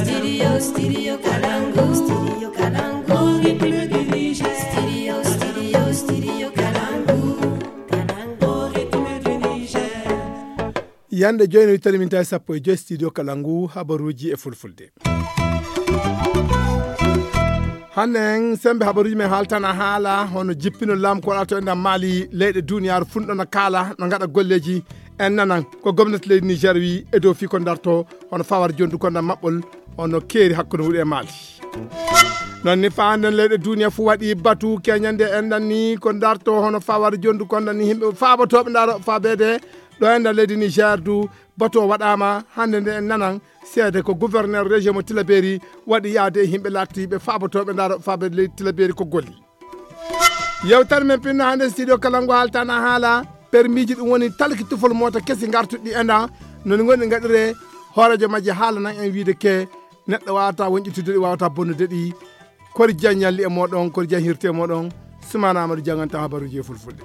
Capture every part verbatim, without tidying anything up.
Studio, studio Kalangu, studio Kalangu, rythme du Niger. Studio, studio, studio Kalangu, Kalangu, rythme du Niger. Yande joyno wittani min tawi sappo e joy studio Kalangu, habaruji e fulfulde. Hannde en sembe habaruji men haaltana haala hono jippino laamu ko waɗato e nder Mali, leyɗe duniyaaru funɗo no kaala, no ngaɗa golleji. En nanan ko gomnati leydi Niger wi e dow fii ko darto hono fawar jondu ko nder maɓɓol hono keeri hakkunde wuɗe e Mali. Non ni faanden leyɗe duniya fu waɗi batu keñande en ɗan ni ko darto hono fawar jondu ko ɗan ni himɓe faabotoɓe ndaro faabede ɗo en ɗan leydi Niger du batu o waɗama hannde nde en nanan seede ko gouverneur région mo Tilaberi waɗi yaade e himɓe lattiɓe faabotoɓe ndaro faabede leydi Tilaberi ko golli. Yewtere men pinno hannde studio kala ngo haaltana haala permiji ɗum woni talki tufol mota kesi gartuɗi e nda noni goni gaɗire hoorejo majje haalanan en wiide ke neɗɗo wawata wonƴitude ɗi wawata bonnude ɗi. Kori jan ñalli e moɗon kori jan hirte e moɗon. Sumana amadou janganta habaruji e fulfulde.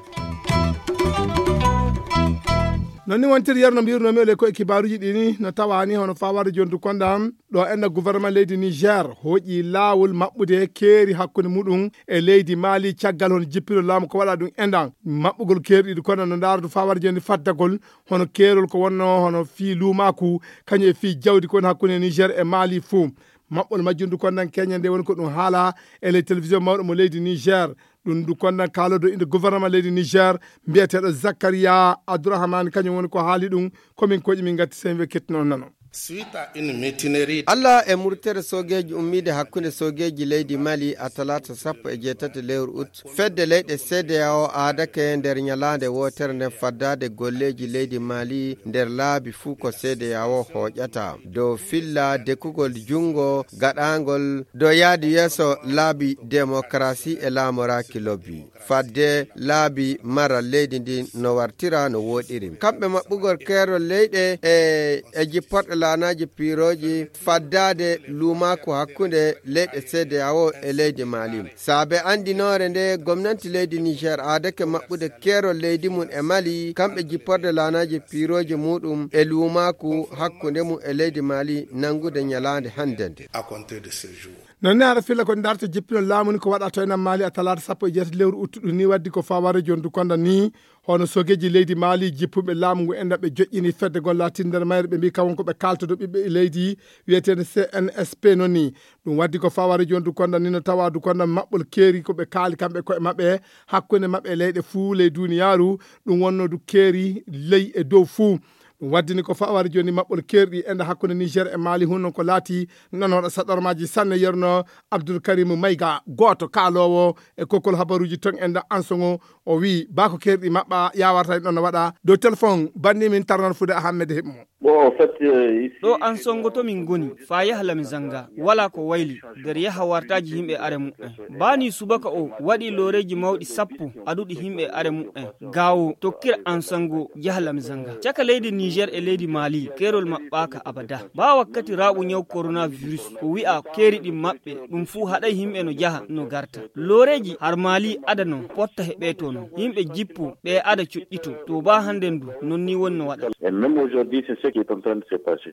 Non ni wontiri yerno mbirnomi ole koye kibaruji ɗini no tawani hono fawade jondu konda ɗo enna gouvernement leydi Niger hooƴi laawol maɓɓude keeri hakkunde muɗum e leydi Mali caggal hono jippiro laamu ko waɗa ɗum enɗan maɓɓugol keeri ɗiɗi kono no ndaardu fawar joni faddagol hono keerol ko wonno hono fii luumaaku kañum e fii jawdi ko woni hakkunde Niger e Mali fuu. Maɓɓol majjundu kondan keñe nde woni ko ɗum haala e ley télévision mawɗo mo leydi Niger. Ɗum ndu kondan kaalodo inde gouvernement leydi Niger mbiyeteeɗo Zakaria Abdourahmane kañum woni ko haali ɗum. Komin koƴi min gatti sen we kettino nano. Suite à une mutinerie. Allah e murtere soogeeji ummiide hakkunde soogeeji leydi Mali a talaata sappo e jeetati lewru ut fedde leyɗe C D A O aadake nder ñalaande wootere nden faddaade golleeji leydi Mali nder laabi fuu ko C D A O hooƴata dow filla dekugol junngo gaɗaangol dow yaadi yeeso laabi demokarasi e laamoraaki lobbi. Fadde laabi maral leydi ndin no wartira no woɗiri kamɓe maɓɓugol keerol leyɗe e e jipporɗe laanaaji piirooji faddaade luumaaku hakkunde leyɗe C D A O e leydi Mali. Saabe anndinoore nde gomnanti leydi Niger aadake maɓɓude keerol leydi mum e Mali kamɓe jipporde laanaaji piirooji muɗum e luumaaku hakkunde mum e leydi Mali nanngude ñalaande hannde nde. Non ni hara filla ko darta jippino laamu ni ko waɗa to enen Mali a talaata sappo e jeetati lewru uttuɗu ni waddi ko faware jondu konda ni hono sogeji leydi Mali jippuɓe laamu ngu enda ɓe joƴƴini fedde gol latin nder mayre ɓe mbi kawon ko ɓe kaltodo ɓiɓɓe leydi wiyeteende C N S P non ni. Ɗum waddi ko faware jondu konda ni no tawa du konda maɓɓol keeri ko ɓe kaali kamɓe koye maɓɓe hakkunde maɓɓe e leyɗe fuu ley duniyaaru. Ɗum wonno du keeri ley e dow fuu. Ɗum waddini ko fawari joni maɓɓol keerɗi enda hakkunde Niger e Mali hunnon ko laati non waɗa saɗormaji sanne yerno Abdoul Karim Mayga gooto kaalowo e kokkol habaruji ton enda ansoŋo. O wi bako keerɗi maɓɓa yawarta en ɗon no waɗa dow téléphone banni min tarnan fude Ahmed Himmo. Bon, en fait, euh, ici, ɗo an songo to min ngoni fa yaha lami zanga wala ko wayli nder yaha wartaji yimɓe are mu'en. Bani subaka o waɗi loreji mawɗi sappo aduɗi yimɓe are mu'en. Gawo tokkira an sango yaha lami zanga caka leydi Niger e leydi Mali kerol maɓɓaka abada ba wakkati raɓu ñaw coronavirus ko wi'a keri ɗin maɓɓe ɗum fuu haɗay yimɓe no jaha no garta. Loreji har Mali ada non potta he ɓe to non yimɓe jippo ɓe ada cuɗɗito to ba hande ndu non ni wonno waɗa. Et même aujourd'hui, c'est ce qui est en train de se passer.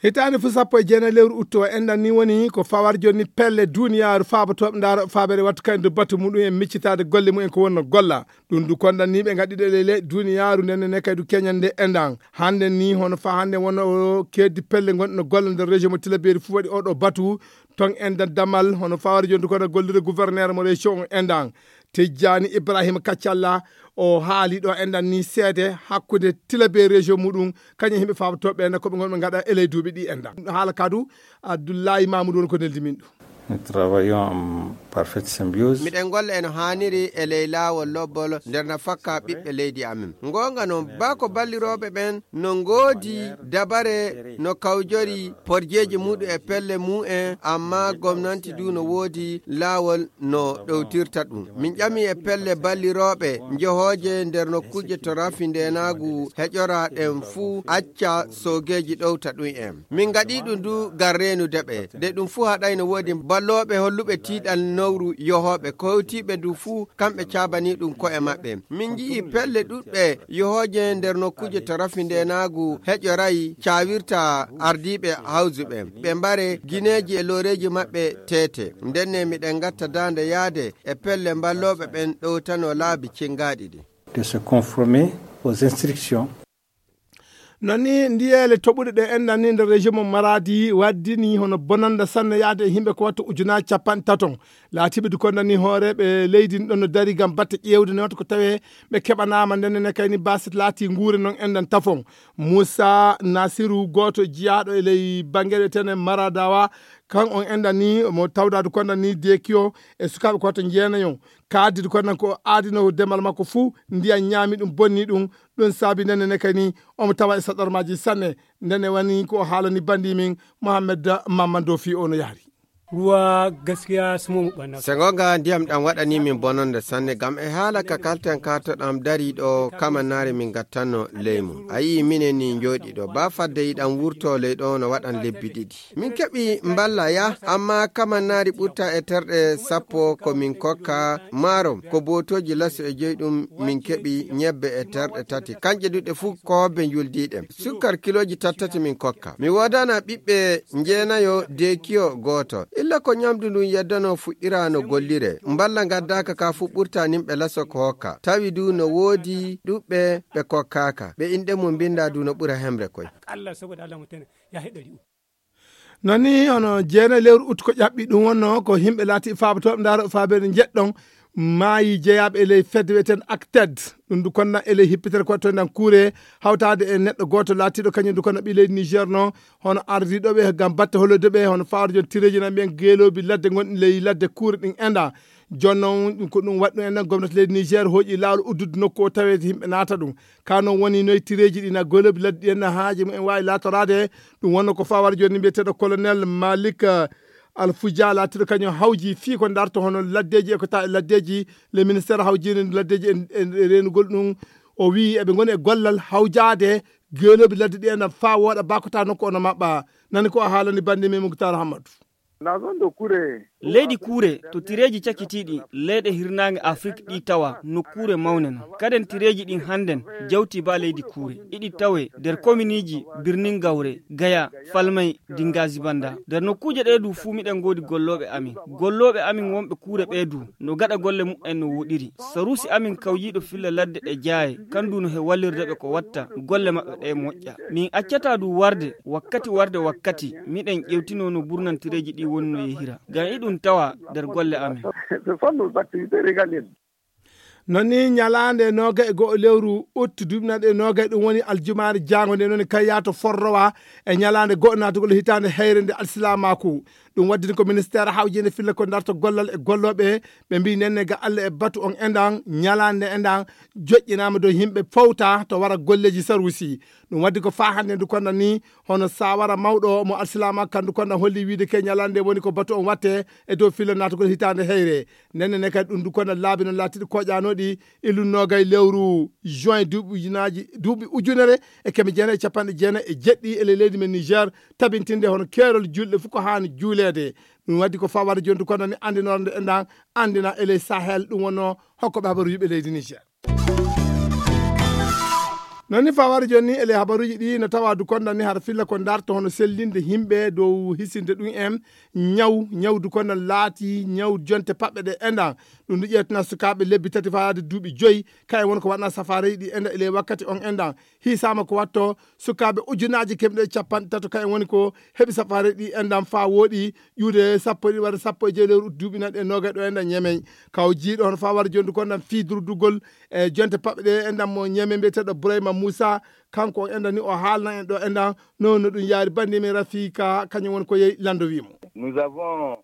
Hitaande fu sappo e jeenayi lewru utto o enɗan ni woni ko fawar jonni pelle duniyaaru faabotooɓe ndaaro faabere wattu kaydo batu muɗum en miccitaade golle mumen ko wonno golla. Ɗum du konɗan ni ɓe ngaɗɗiɗo lele duniyaaru nden ne kaydu keñande enɗan hande ni hono fa hande wonno o keddi pelle gonɗe no golla nder région mo tilaberi fu waɗi oɗo batu. Ton enɗan damal hono fawar jonni kono gollude gouverneur mo région on enɗan tijjani ibrahima kaccalla. O haali ɗo enɗan ni seede hakkude tilabe région muɗum kañum yimɓe faabotooɓe ɓe koɓe gonɓe gaɗa e ley duuɓi ɗi enɗan haala kadu. Abdoullahi mamoudou woni ko neldi min ɗum. Nous travaillons en parfaite symbiose. Miɗen golla eno haaniri e ley laawol lobbol nder na fakka ɓiɓɓe leydi amin. Ngonga noon baa ko ballirooɓe ɓen no ngoodi dabare no kawjori porjeeji muɗum e pelle mumen amma gomnanti du no woodi laawol no ɗowtirta ɗum. Min ƴami e pelle ballirooɓe njehooje nder nokkuuje to rafi ndeenaagu heƴora ɗen fuu acca soogeeji ɗowta ɗum en. Min ngaɗi ɗum du ngam reenude ɓe. De ɗum fuu haɗay no woodi Looɓe holluɓe tiiɗal nowru yohooɓe, ko hewtiiɓe du fuu, kamɓe caabanii ɗum ko'e maɓɓe. Min nji'i pelle ɗuɗɗe yohooje nder nokkuuje to rafi ndeenaagu heƴoray caawirta ardiiɓe hawjuɓe. Ɓe mbare gineeji e looreeji maɓɓe teete. Ndenne miɗen ngatta daande yaade e pelle mballooɓe ɓen ɗowtano laabi cingaaɗi ɗi. De se conformer aux instructions. Non ni ndiyeele toɓuɗe ɗe enɗan ni nder région mo Maradi waddini hono bonanda sanne yaade e yimɓe ko watta ujunaaji capanɗe taton. Laatiiɓe du konda ni hooreeɓe leydi ɗon no dari ngam batte ƴeewde ne wata ko tawee ɓe keɓanaama ndenne ne kayni basit laati nguure non enɗan tafon. Moussa Nasiru gooto jiyaaɗo e ley bannge ɗo tene Maradawa, kan on enɗan ni mo tawdaadu konda ni dekiyo e sukaaɓe ko watta njeenayon. Kaaddi du konda ko aadino demal makko fuu, ndiyan ñaami ɗum, bonni ɗum. Ɗum saabi ndenne ne kayni omo tawa e saɗarmaaji sanne. Ndenne wani ko o haalani banndi min Mohammed Mamman Dofi, o no yahri. Ruwa gaskiya su mu ɓanna. Se gonga ndiyam ɗam waɗani min bononde sanne, gam e haala ka kalten ka to ɗam dari ɗo kamannaare min gattanno leymu. A yi'i minen ni njooɗi ɗo, ba fadde yiɗan wurto ley ɗo no waɗan lebbi ɗiɗi. Min keɓi mballa ya, amma kamannaari ɓurta e terɗe sappo ko min kokka maarom, ko bootooji laso e joyi ɗum min keɓi ñebbe e terɗe tati. Kanƴe duɗe fuu ko hobbe njuldiiɗe. Sukkar kilooji tattati min kokka. Mi woodana ɓiɓɓe njeenayo deekiyo gooto. Illa ko ñamdu ndun yeddano fuɗɗira no gollire. Mballa ngaddaaka ka fuu ɓurta nimɓe laso ko hokka. Tawi du no woodi ɗuɓɓe ɓe kokkaaka. Ɓe inɗe mum mbinda du no ɓura hemre koy. Allah saboda Allah mutum ya haɗari. Nani hono jeena lewru uttu ko ƴaɓɓi ɗum wonno ko yimɓe laati faabotooɓe ndaaro faabeede njeɗɗon maayi jeyaaɓe e ley fedde wi'eten Acted. Ɗum du konna e ley hippitere ko to nan kuure hawtaade e neɗɗo gooto laatiiɗo kañum du konna ɓi leydi Niger no hono ardiiɗo ɓe ngam batte hollude ɓe hono faaro jon tireeji nan ɓen geeloobi ladde ngonɗi ley ladde kuure ɗin enda. Jooni noon ɗum ko ɗum waɗi ɗum enda gomnati leydi Niger hooƴi laawol uddude nokku o taweede yimɓe naata ɗum. Ka noon woni noytireeji ɗi na goloobi ladde ɗi en na haaje mumen waawi laatoraade. Ɗum wonno ko fawaade jooni mbiyeteeɗo colonel Malik, eh, Alfuja laatiiɗo kañum hawji fii ko darto hono laddeeji e ko ta e laddeeji. Le ministére hawjiinde laddeeji e, e, e reenugol ɗum. O wii eɓe ngoni e gollal hawjaade geeloobi ladde ɗi en faa wooɗa bakota nokku ono maɓɓa. Nani ko a haalani bannde men Muktar Hammadu. Leydi kuure to tireeji cakitiiɗi leyɗe hirnaange Afrik ɗi tawa nokkuure mawne non. Kaden tireeji ɗin hannden jawti ba leydi kuure. Iɗi tawe nder kominiiji Birnin Gawre, Gaya, Falmay, Dingazi Banda. Nder nokkuuje ɗe du fuu miɗen ngoodi gollooɓe amin. Gollooɓe amin wonɓe kuure ɓe du no gaɗa golle muɓɓen no woɗiri. Saruusi amin kawjiiɗo filla ladde ɗe jaaye, kan du no he wallirde ɓe ko watta golle maɓɓe ɗe moƴƴa. Min accataa du warde wakkati warde wakkati, miɗen ƴewtinoo no burnantireeji ɗi woni no yehira. Ngam iɗum tawa nder golle amin. Non ni ñalaande noogay e go'o lewru ut duuɓi naɗe noogay ɗum woni aljumaare jaango nde noon kayya to forrowa e ñalaande go'o naatugol hitaande heyre nde alsilaamaaku. Ɗum waddini ko ministeer hawjiinde filla ko darto gollal e gollooɓe ɓe mbii nenne ga Allah e batu on endan ñalaande endan joƴƴinaama dow yimɓe fowta to wara golleeji saruusi. Ɗum waddi ko faa hannde ndu konda ni hono saawara mawɗo mo alsilaama kandu konda holli wiide ke ñalaande woni ko batu on watte e dow filla naatugol hitaande heyre. Nenne ne kadi ɗum du konda laabi no laatiɗi koƴanooɗi illu noogay lewru juin duuɓi ujunaaji, duuɓi ujunere e keme jeenayi e capanɗe jeenayi e jeɗɗi e ley leydi men Niger, tabintinde hono keerol julɗe fof ko haani juuleede. Ɗum waddi ko faa wara jooni du konda ni anndinoore nde endan anndina e ley Sahel ɗum wonno hokkoɓe habaru yuɓe leydi Niger. Non ni fawari jooni ni e ley habaruuji ɗi no tawa du konda ni hara filla ko darto hono sellinde yimɓe dow hisinde ɗum en ñaw, ñaw du konda laati ñaw jonte paɓɓe ɗe endan. Ɗum du ƴeewtina sukaaɓe lebbi tati faade duuɓi joyi, kayen won ko waɗna safareeji ɗi enda e ley wakkati on endan. Hiisaama ko watto sukaaɓe ujunaaji kemɗe capanɗe tato kayen woni ko heɓi safareeji ɗi endan faa wooɗi ƴuude sappo e ɗiɗi walla sappo e joyi lewru ut duuɓi naɗe noogay ɗo endan Ñemey. Kaw jiiɗo hono faa wara jooni du kondan fii durdugol e jonte paɓɓe ɗe endan mo Ñemey mbiyeteeɗo Burayma Muusa, kanko o endan ni o haalna en ɗo endan no no ɗum yaari banndi men Rafiika kañum woni ko yehi lando wii mo.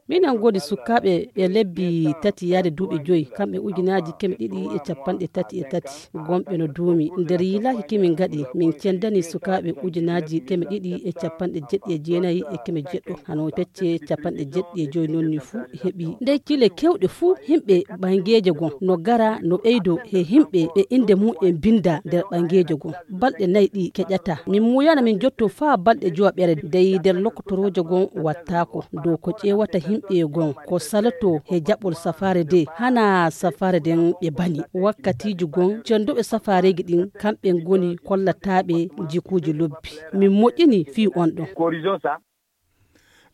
Minen ngoodi sukaaɓe ɓe lebbi tati yaade duuɓi joyi, kamɓe ujunaaji keme ɗiɗi e capanɗe tati e tati, gomɓe no duumi. Nder yiilaaki kimin ngaɗi, min cendani sukaaɓe ujunaaji keme ɗiɗi e capanɗe jeɗɗi e jeenayi e keme jeɗɗo, hano pecce capanɗe jeɗɗi e joyi non ni fuu heɓi. Ndey kile kewɗe fuu, yimɓe ɓangeeje gon no gara no ɓeydo he yimɓe ɓe innde mum en binnda nder ɓangeeje gon. Balɗe nayi ɗi keƴata. Min muuyana min jotto faa balɗe jowaɓere, dey nder lokotorooje gon wattaako. Dow ko ƴeewata yimɓe gon ko saloto he jaɓol safaare de, hana safaare den ɓe bani. Wakkatiiji gon, cennduɓe safaareeji ɗin, kamɓe ngoni kollataaɓe jikuuji lobbi. Min moƴƴini fii on ɗon.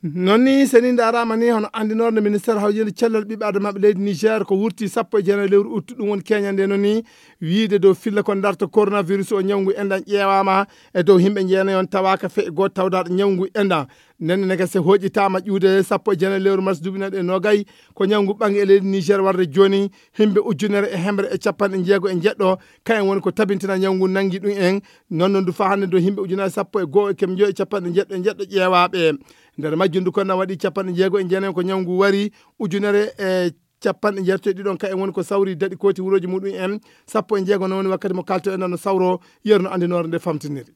Non ni, seni ndaaraama ni, hono anndinoore ministeer hawjinde cellal ɓiɓɓe adamaaɓe leydi Niger, ko wurti sappo e jeenayi lewru uttu, ɗum woni keñande no ni, wiide dow filla ko darta coronavirus o, ñawngu enɗan ƴeewaama e dow yimɓe jeenayi on, tawaaka feƴƴo gooto tawdaaɗo ñawngu enɗan. Nenne nega se hoƴitaama ƴuude sappo e jeenayi lewru mars duuɓi nayi e noogay, ko ñawngu ɓangi e leydi Niger warde jooni, yimɓe ujunere e hemre e capanɗe jeego e jeɗɗo, kayen woni ko tabintina ñawngu nangi ɗum en. Non non du faa hannde do yimɓe ujunere sappo e goo e keme njoy e capanɗe jeɗɗo e jeɗɗo ƴeewaaɓe. Nder majjum du kon na waɗi capanɗe jeego e jeenayi ko ñawngu wari, ujunere e capanɗe jeetati e ɗiɗon kayen woni ko sawri daɗi kooti wurooji muɗum en, sappo e jeego non woni wakkati mo kalto en no sawro, yerno anndinoore nde famtiniri.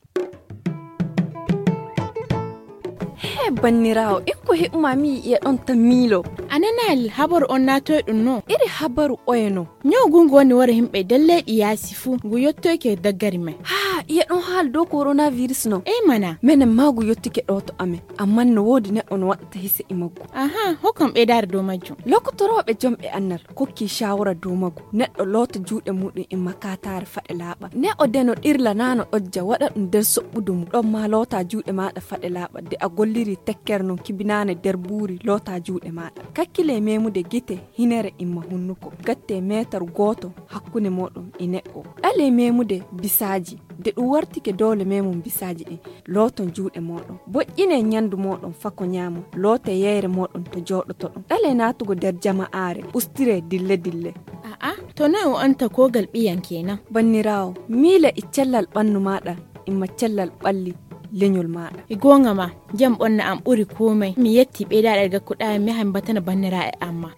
He banniraawo, ikko heɓuma mi yi'e ɗon ta miilo. A nanaali habaru on naatoy ɗum no? Iri habaru oye no? Ñaw gungu woni wara yimɓe der leyɗi yaasi fuu, ngu yottoyke daggari men. Haa, iye ɗon haali dow coronavirus no? Ey mana. Menen maa ngu yottike ɗo to amen, amman no woodi neɗɗo no waɗata hise e maggu. Aha, hokkam ɓeydaare dow majjum. Lokotorooɓe jomɓe annal kokki shawara dow maggu. Neɗɗo loota juuɗe muɗum e makataare faɗe laaɓa. Neɗɗo de no ɗirla naa no ɗojja waɗa ɗum der soɓɓudu mum. Ɗon maa loota juuɗe maaɗa faɗe laaɓa de a golliri tekkere non kibinaane der buuri loota juuɗe maaɗa. Kakkile memude gite, hinere imma hunnuko. Gatte meetar gooto hakkunde mooɗon e neɗɗo. Ɗale memude bisaaji. De ɗum wartike doole memum bisaaji ɗin. Looton juuɗe mooɗon. Boƴƴine ñandu mooɗon fako ñaamon. Loote yeyre mooɗon to jooɗotoɗon. Ɗale naatugo der jama'aare. Ustire dille dille. A'a, to noy o anta kogal ɓiyan kenan? Banniraawo, miila e cellal ɓannu maaɗa, imma cellal ɓalli leñol maaɗa. E goonga ma, jam ɓonna am ɓuri komai. Mi yetti ɓeydaaɗe gakkuɗaa mi yaha mi batana banniraaɓe am ma.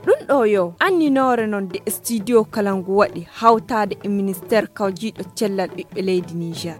Ɗum ɗo yo anninoore non de studio kala ngu waɗi hawtaade e ministeer kawjiiɗo cellal ɓiɓɓe leydi Niger.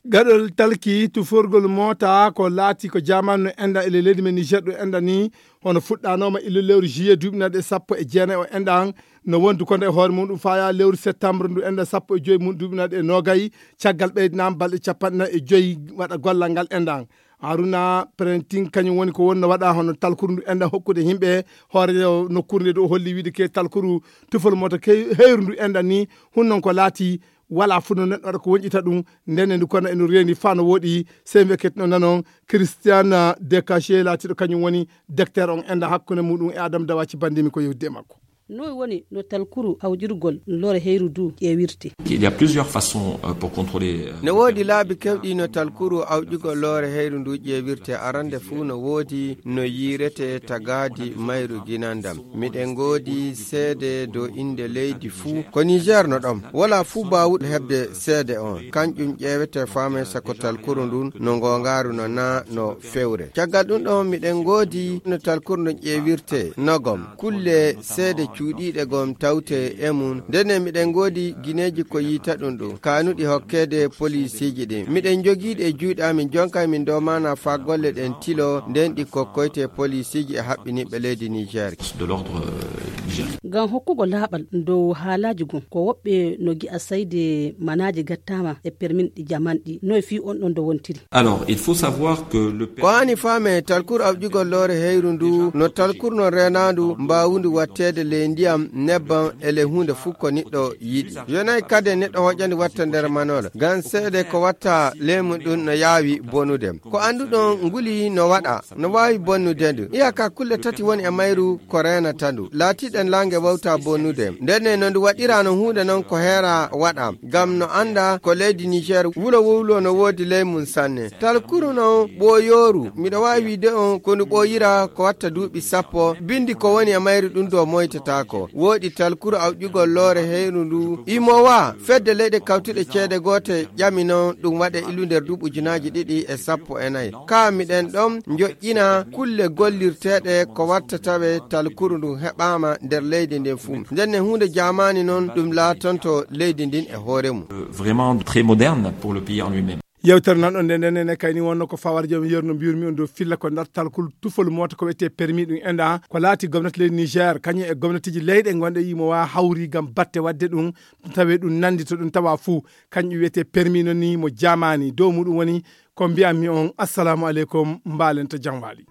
Gaɗol talki tuforgol moota ko laati ko jamaanu no enda e leydi men Niger ɗo enda ni, hono fuɗɗanooma illu lewru juillet duuɓi naɗe sappo e jeenayi o enɗan, no wondu kono e hoore mum ɗum faya lewru septembre ndu enɗan sappo e joyi mum duuɓi naɗe e noogay, caggal ɓeydinaama balɗe capanɗe nayi e joyi waɗa gollal ngal enɗan. Haruna Prentin kañum woni ko wonno waɗa hono talkuru ndu enɗan hokkude yimɓe hoore nokkuure nde ɗo holli wiide ke talkuru tufol moota ke heyru ndu enɗan ni, hunnon ko laati wala fuu no neɗɗo waɗa ko wonƴita ɗum. Ndenne ndu kono eno reeni faa no wooɗi, sey mbiya ketino nanon Christian Dekache laatiiɗo kañum woni docteur on enda hakkunde muɗum e Adam Dawaci bandimi ko yewtide e makko. Noy woni no talkuru awƴirgol loore heyru du ƴeewirte? Il y a plusieurs façons euh, pour contrôler. Euh, ne woodi laabi kewɗi no talkuru awƴugol loore heyru ndu ƴeewirte. Arande fuu no woodi no yiirete tagaadi mayru ginandam. Miɗen ngoodi seede dow innde leydi fuu ko Niger no ɗon. Wala fuu baawuɗo heɓde seede on. Kanƴum ƴeewete faame sako talkuru ndun no ngoongaaru no naa no fewre. Caggal ɗum ɗon miɗen ngoodi no talkuru ndun ƴeewirte nogom. Kulle seede cuuɗiiɗe gom tawte e mum. Ndenne miɗen ngoodi gineeji ko yiita ɗum ɗum. Kaanuɗi hokkeede poliisiiji ɗin. Miɗen njogiiɗi e juuɗe amin jonka min doomana faa golle ɗen tilo nden ɗi kokkoyte poliisiiji e haɓɓiniiɓe leydi Niger. De l'ordre euh, nigérien. Ngam hokkugo laaɓal dow haalaaji gon, ko woɓɓe no gi'a sayde manaaji gattaama e permin ɗi jamanɗi. Noy fii on ɗon do wontiri? Alors, il faut savoir que le Ko haani faame talkur awƴugol loore heyru ndu no talkur non reenaandu mbaawundu watteede ley ndiyam, nebbam e ley huunde fuu ko niɗɗo yiɗi. Yonay kade neɗɗo hoƴandi watta nder manola. Ngam seede ko watta leemu ɗum no yaawi bonude. Ko annduɗon nguli no waɗa, no waawi bonnude ndu. Iyaka kulle tati woni e mayru ko reenata ndu. Laatiɗen laange wawta bonnude. Ndenne no ndu waɗira no huunde non ko heera waɗa. Ngam no annda ko leydi Niger wulo wulo no woodi ley mum sanne. Talkuru non ɓooyooru. Miɗo waawi wiide on ko ndu ɓooyira ko watta duuɓi sappo. Bindi ko woni e mayru ɗum do moytataako. Wooɗi talkuru awƴugol loore heyru ndu. Imowa fedde leyɗe kawtuɗe ceede goote ƴami non ɗum waɗe ilu nder duuɓi ujunaaji ɗiɗi e sappo e nayi. Kaa miɗen ɗon njoƴƴina kulle gollirteeɗe ko watta tawe talkuru ndun heɓaama nder leydi ndin fuu. Ndenne huunde jaamaani non ɗum laatonto leydi ndin e hoore mum. Vraiment très moderne pour le pays en lui-même. Yewtere nan ɗon nden nden ne kayni wonno ko fawar joom yerno mbiyurmi on dow filla ko ndar talkuru tufol moota ko wiyetee permis ɗum enda ko laati gomnati leydi Niger kañum e gomnatiji leyɗe gonɗe yimo wa hawri ngam batte wadde ɗum tawe ɗum nandi to ɗum tawa fuu. Kañum wiyetee permis non ni mo jaamaani dow muɗum woni Ko mbi'anmi on, assalaamu aleykum, mbaalenta jam waali.